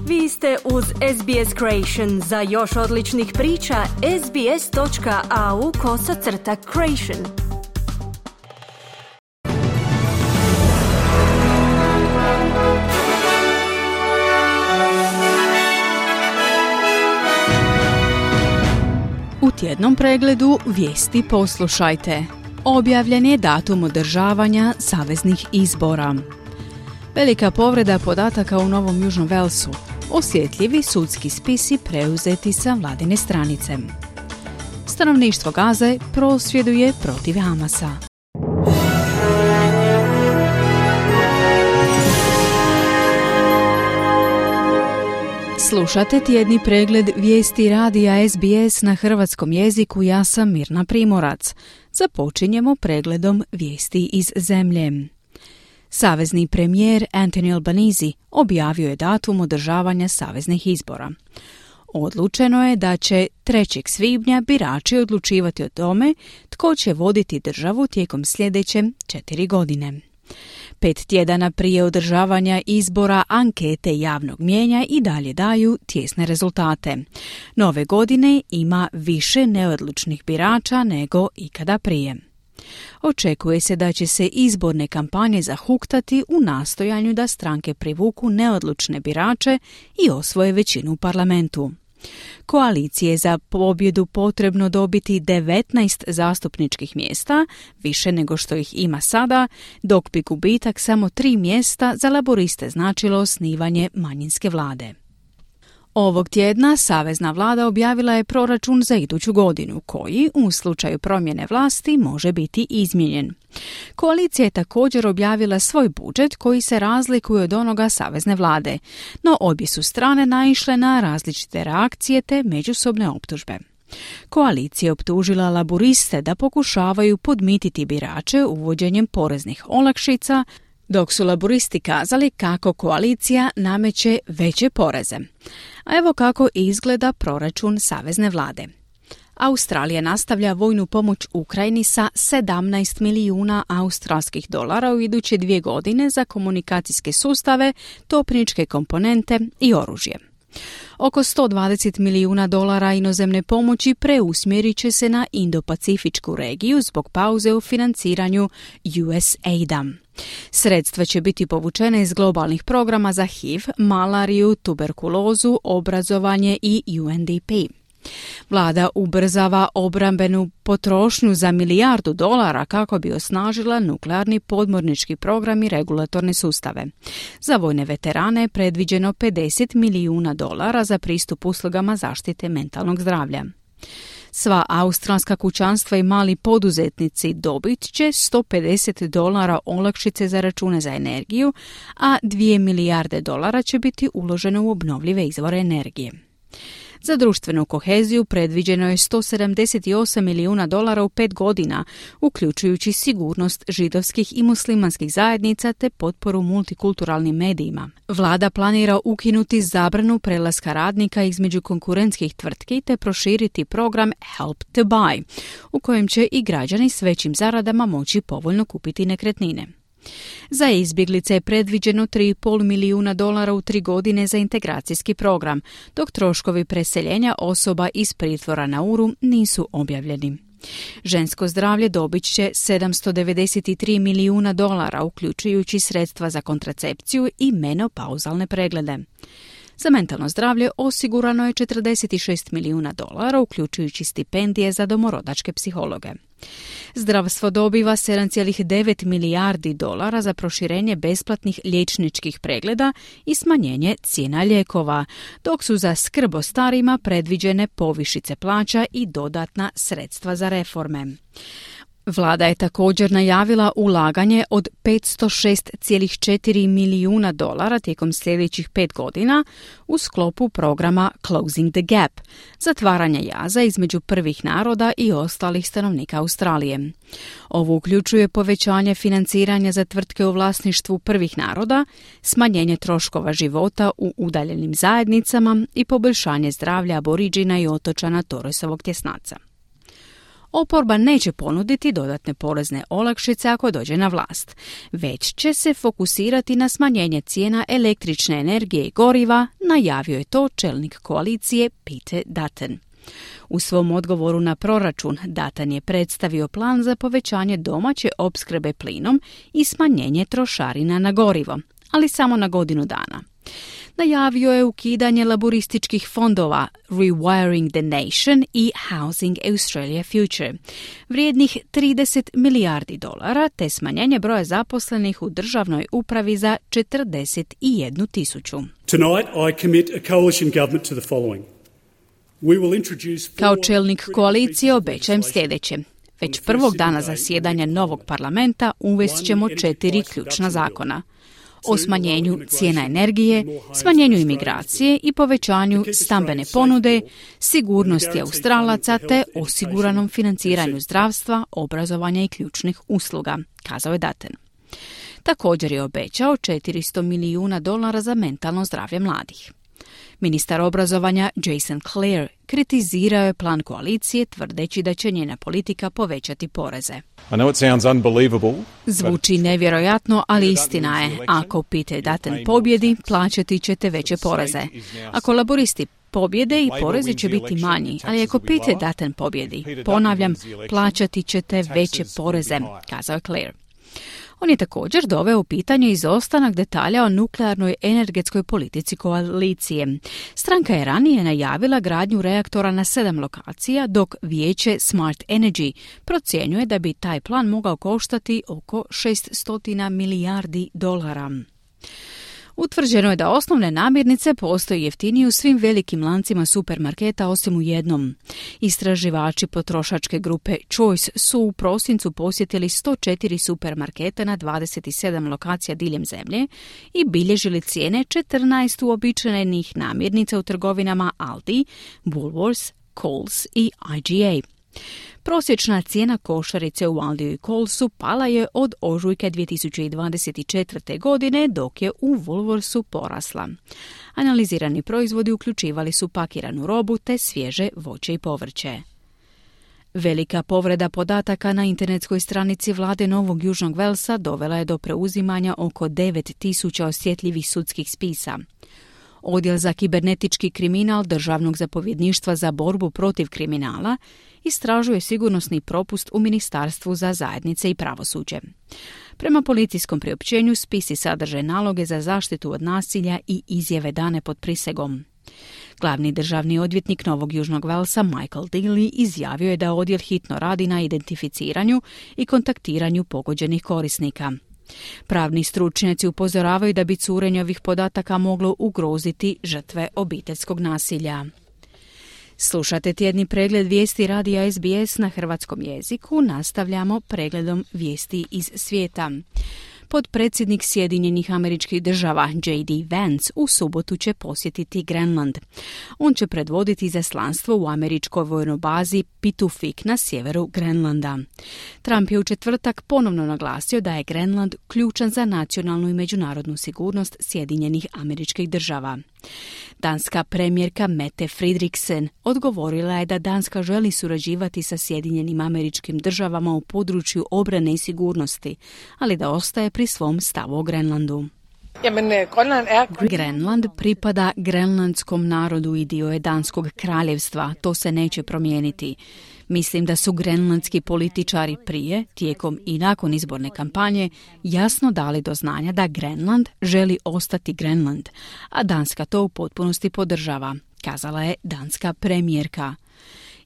Vi ste uz SBS Creation. Za još odličnih priča, sbs.au/creation. U tjednom pregledu vijesti poslušajte. Objavljen je datum održavanja saveznih izbora. Velika povreda podataka u Novom Južnom Velsu. Osjetljivi sudski spisi preuzeti sa vladine stranice. Stanovništvo Gaze prosvjeduje protiv Hamasa. Slušate tjedni pregled vijesti radija SBS na hrvatskom jeziku. Ja sam Mirna Primorac. Započinjemo pregledom vijesti iz zemlje. Savezni premijer Anthony Albanese objavio je datum održavanja saveznih izbora. Odlučeno je da će 3. svibnja birači odlučivati o tome tko će voditi državu tijekom sljedeće 4 godine. 5 tjedana prije održavanja izbora ankete javnog mnijenja i dalje daju tijesne rezultate. Nove godine ima više neodlučnih birača nego ikada prije. Očekuje se da će se izborne kampanje zahuktati u nastojanju da stranke privuku neodlučne birače i osvoje većinu u parlamentu. Koaliciji je za pobjedu potrebno dobiti 19 zastupničkih mjesta, više nego što ih ima sada, dok bi gubitak samo 3 mjesta za laboriste značilo osnivanje manjinske vlade. Ovog tjedna savezna vlada objavila je proračun za iduću godinu, koji, u slučaju promjene vlasti, može biti izmijenjen. Koalicija je također objavila svoj budžet koji se razlikuje od onoga savezne vlade, no obje su strane naišle na različite reakcije te međusobne optužbe. Koalicija je optužila laboriste da pokušavaju podmititi birače uvođenjem poreznih olakšica, dok su laboristi kazali kako koalicija nameće veće poreze. A evo kako izgleda proračun savezne vlade. Australija nastavlja vojnu pomoć Ukrajini sa 17 milijuna australskih dolara u iduće 2 godine za komunikacijske sustave, topničke komponente i oružje. Oko 120 milijuna dolara inozemne pomoći preusmjerit će se na Indo-Pacifičku regiju zbog pauze u financiranju USAID-a. Sredstva će biti povučene iz globalnih programa za HIV, malariju, tuberkulozu, obrazovanje i UNDP. Vlada ubrzava obrambenu potrošnju za $1 milijardu kako bi osnažila nuklearni podmornički program i regulatorne sustave. Za vojne veterane je predviđeno $50 milijuna za pristup uslugama zaštite mentalnog zdravlja. Sva australska kućanstva i mali poduzetnici dobit će $150 olakšice za račune za energiju, a $2 milijarde će biti uloženo u obnovljive izvore energije. Za društvenu koheziju predviđeno je $178 milijuna u 5 godina, uključujući sigurnost židovskih i muslimanskih zajednica te potporu multikulturalnim medijima. Vlada planira ukinuti zabranu prelaska radnika između konkurentskih tvrtki te proširiti program Help to Buy, u kojem će i građani s većim zaradama moći povoljno kupiti nekretnine. Za izbjeglice je predviđeno $3,5 milijuna u 3 godine za integracijski program, dok troškovi preseljenja osoba iz pritvora na Uru nisu objavljeni. Žensko zdravlje dobit će $793 milijuna, uključujući sredstva za kontracepciju i menopauzalne preglede. Za mentalno zdravlje osigurano je $46 milijuna, uključujući stipendije za domorodačke psihologe. Zdravstvo dobiva $7,9 milijardi za proširenje besplatnih liječničkih pregleda i smanjenje cijena lijekova, dok su za skrb o starima predviđene povišice plaća i dodatna sredstva za reforme. Vlada je također najavila ulaganje od $506,4 milijuna tijekom sljedećih 5 godina u sklopu programa Closing the Gap, zatvaranja jaza između prvih naroda i ostalih stanovnika Australije. Ovo uključuje povećanje financiranja za tvrtke u vlasništvu prvih naroda, smanjenje troškova života u udaljenim zajednicama i poboljšanje zdravlja aboriđina i otočana Torresovog tjesnaca. Oporba neće ponuditi dodatne porezne olakšice ako dođe na vlast, već će se fokusirati na smanjenje cijena električne energije i goriva, najavio je to čelnik koalicije Peter Dutton. U svom odgovoru na proračun Dutton je predstavio plan za povećanje domaće opskrbe plinom i smanjenje trošarina na gorivo, ali samo na godinu dana. Najavio je ukidanje laborističkih fondova Rewiring the Nation i Housing Australia Future, vrijednih $30 milijardi, te smanjenje broja zaposlenih u državnoj upravi za 41,000. Tonight I commit a coalition government to the following. Kao čelnik koalicije obećajem sljedeće. Već prvog dana zasjedanja novog parlamenta uvest ćemo 4 ključna zakona. O smanjenju cijena energije, smanjenju imigracije i povećanju stambene ponude, sigurnosti Australaca te osiguranom financiranju zdravstva, obrazovanja i ključnih usluga, kazao je Dutton. Također je obećao $400 milijuna za mentalno zdravlje mladih. Ministar obrazovanja Jason Clare kritizirao je plan koalicije tvrdeći da će njena politika povećati poreze. Zvuči nevjerojatno, ali istina je. Ako Peter Dutton pobjedi, plaćati ćete veće poreze. Ako laboristi pobjede i porezi će biti manji, ali ako Peter Dutton pobjedi, ponavljam, plaćati ćete veće poreze, kazao je Clare. On je također doveo u pitanje izostanak detalja o nuklearnoj energetskoj politici koalicije. Stranka je ranije najavila gradnju reaktora na 7 lokacija, dok vijeće Smart Energy procjenjuje da bi taj plan mogao koštati oko $600 milijardi. Utvrđeno je da osnovne namirnice postoje jeftinije u svim velikim lancima supermarketa osim u jednom. Istraživači potrošačke grupe Choice su u prosincu posjetili 104 supermarketa na 27 lokacija diljem zemlje i bilježili cijene 14 uobičajenih namirnica u trgovinama Aldi, Woolworths, Coles i IGA. Prosječna cijena košarice u Aldiju i Colesu pala je od ožujka 2024. godine, dok je u Woolworthsu porasla. Analizirani proizvodi uključivali su pakiranu robu te svježe voće i povrće. Velika povreda podataka na internetskoj stranici vlade Novog Južnog Velsa dovela je do preuzimanja oko 9.000 osjetljivih sudskih spisa. Odjel za kibernetički kriminal Državnog zapovjedništva za borbu protiv kriminala istražuje sigurnosni propust u Ministarstvu za zajednice i pravosuđe. Prema policijskom priopćenju spisi sadrže naloge za zaštitu od nasilja i izjave dane pod prisegom. Glavni državni odvjetnik Novog Južnog Velsa Michael Daly izjavio je da odjel hitno radi na identificiranju i kontaktiranju pogođenih korisnika. Pravni stručnjaci upozoravaju da bi curenje ovih podataka moglo ugroziti žrtve obiteljskog nasilja. Slušate tjedni pregled vijesti radija SBS na hrvatskom jeziku. Nastavljamo pregledom vijesti iz svijeta. Potpredsjednik Sjedinjenih Američkih Država J.D. Vance u subotu će posjetiti Grenland. On će predvoditi izaslanstvo u američkoj vojnoj bazi Pitufik na sjeveru Grenlanda. Trump je u četvrtak ponovno naglasio da je Grenland ključan za nacionalnu i međunarodnu sigurnost Sjedinjenih Američkih Država. Danska premijerka Mette Frederiksen odgovorila je da Danska želi surađivati sa Sjedinjenim Američkim Državama u području obrane i sigurnosti, ali da ostaje pri svom stavu o Grenlandu. Grenland pripada grenlandskom narodu i dio je Danskog kraljevstva, to se neće promijeniti. Mislim da su grenlandski političari prije, tijekom i nakon izborne kampanje jasno dali do znanja da Grenland želi ostati Grenland, a Danska to u potpunosti podržava, kazala je danska premijerka.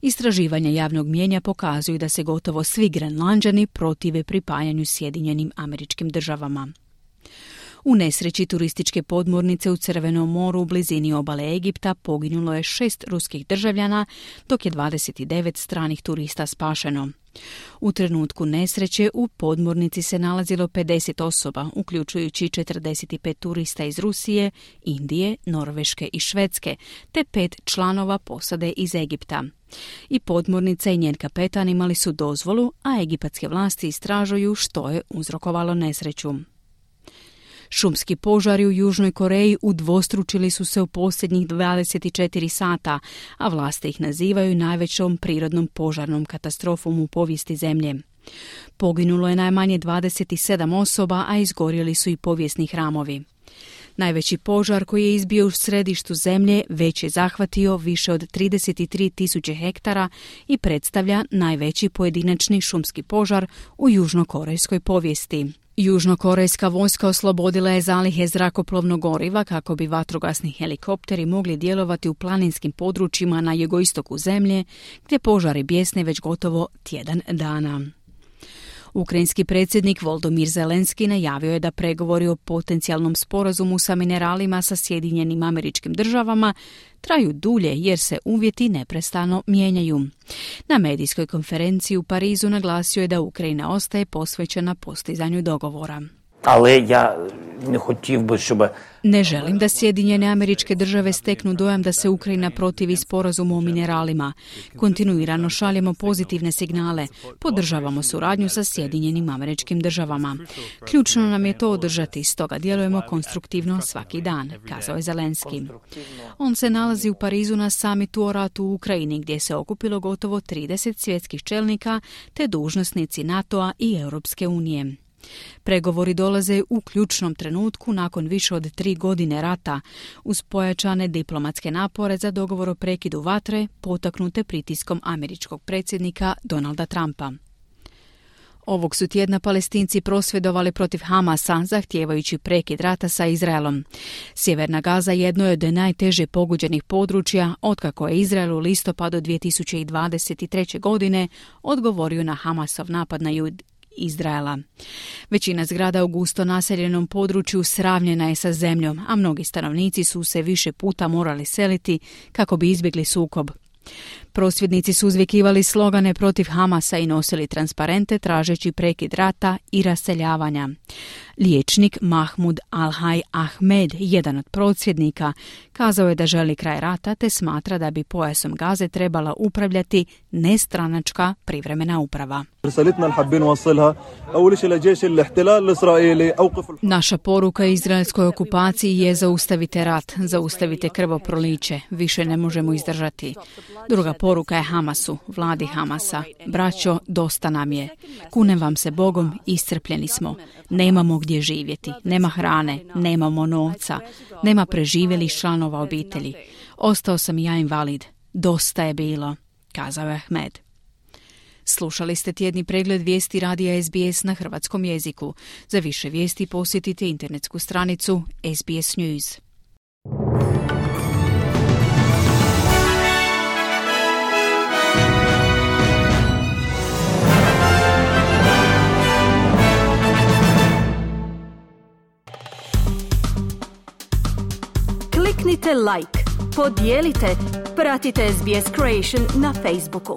Istraživanja javnog mnijenja pokazuju da se gotovo svi Grenlanđani protive pripajanju Sjedinjenim Američkim Državama. U nesreći turističke podmornice u Crvenom moru u blizini obale Egipta poginulo je 6 ruskih državljana, dok je 29 stranih turista spašeno. U trenutku nesreće u podmornici se nalazilo 50 osoba, uključujući 45 turista iz Rusije, Indije, Norveške i Švedske, te 5 članova posade iz Egipta. I podmornica i njen kapetan imali su dozvolu, a egipatske vlasti istražuju što je uzrokovalo nesreću. Šumski požari u Južnoj Koreji udvostručili su se u posljednjih 24 sata, a vlasti ih nazivaju najvećom prirodnom požarnom katastrofom u povijesti zemlje. Poginulo je najmanje 27 osoba, a izgorjeli su i povijesni hramovi. Najveći požar koji je izbio u središtu zemlje već je zahvatio više od 33.000 hektara i predstavlja najveći pojedinačni šumski požar u južnokorejskoj povijesti. Južnokorejska vojska oslobodila je zalihe zrakoplovnog goriva kako bi vatrogasni helikopteri mogli djelovati u planinskim područjima na jugoistoku zemlje, gdje požari bjesne već gotovo tjedan dana. Ukrajinski predsjednik Volodymyr Zelenski najavio je da pregovori o potencijalnom sporazumu sa mineralima sa Sjedinjenim Američkim Državama traju dulje jer se uvjeti neprestano mijenjaju. Na medijskoj konferenciji u Parizu naglasio je da Ukrajina ostaje posvećena postizanju dogovora. Ne želim da Sjedinjene Američke Države steknu dojam da se Ukrajina protivi sporazumu o mineralima. Kontinuirano šaljemo pozitivne signale, podržavamo suradnju sa Sjedinjenim Američkim Državama. Ključno nam je to održati, stoga djelujemo konstruktivno svaki dan, kazao je Zelenski. On se nalazi u Parizu na samitu o ratu u Ukrajini, gdje se okupilo gotovo 30 svjetskih čelnika te dužnosnici NATO-a i Europske unije. Pregovori dolaze u ključnom trenutku nakon više od 3 godine rata, uz pojačane diplomatske napore za dogovor o prekidu vatre, potaknute pritiskom američkog predsjednika Donalda Trumpa. Ovog su tjedna Palestinci prosvjedovali protiv Hamasa, zahtijevajući prekid rata sa Izraelom. Sjeverna Gaza jedno je od najteže pogođenih područja otkako je Izrael u listopadu 2023. godine odgovorio na Hamasov napad na Izraela. Većina zgrada u gusto naseljenom području sravnjena je sa zemljom, a mnogi stanovnici su se više puta morali seliti kako bi izbjegli sukob. Prosvjednici su uzvikivali slogane protiv Hamasa i nosili transparente tražeći prekid rata i raseljavanja. Liječnik Mahmud Al-Hay Ahmed, jedan od prosvjednika, kazao je da želi kraj rata te smatra da bi pojasom Gaze trebala upravljati nestranačka privremena uprava. Naša poruka izraelskoj okupaciji je zaustavite rat, zaustavite krvoproliće, više ne možemo izdržati. Druga poruka je Hamasu, vladi Hamasa. Braćo, dosta nam je. Kunem vam se Bogom, iscrpljeni smo. Nemamo gdje živjeti, nema hrane, nemamo novca, nema preživjelih članova obitelji. Ostao sam i ja invalid. Dosta je bilo, kazao je Ahmed. Slušali ste tjedni pregled vijesti radija SBS na hrvatskom jeziku. Za više vijesti posjetite internetsku stranicu SBS News. Kliknite like, podijelite, pratite SBS Creation na Facebooku.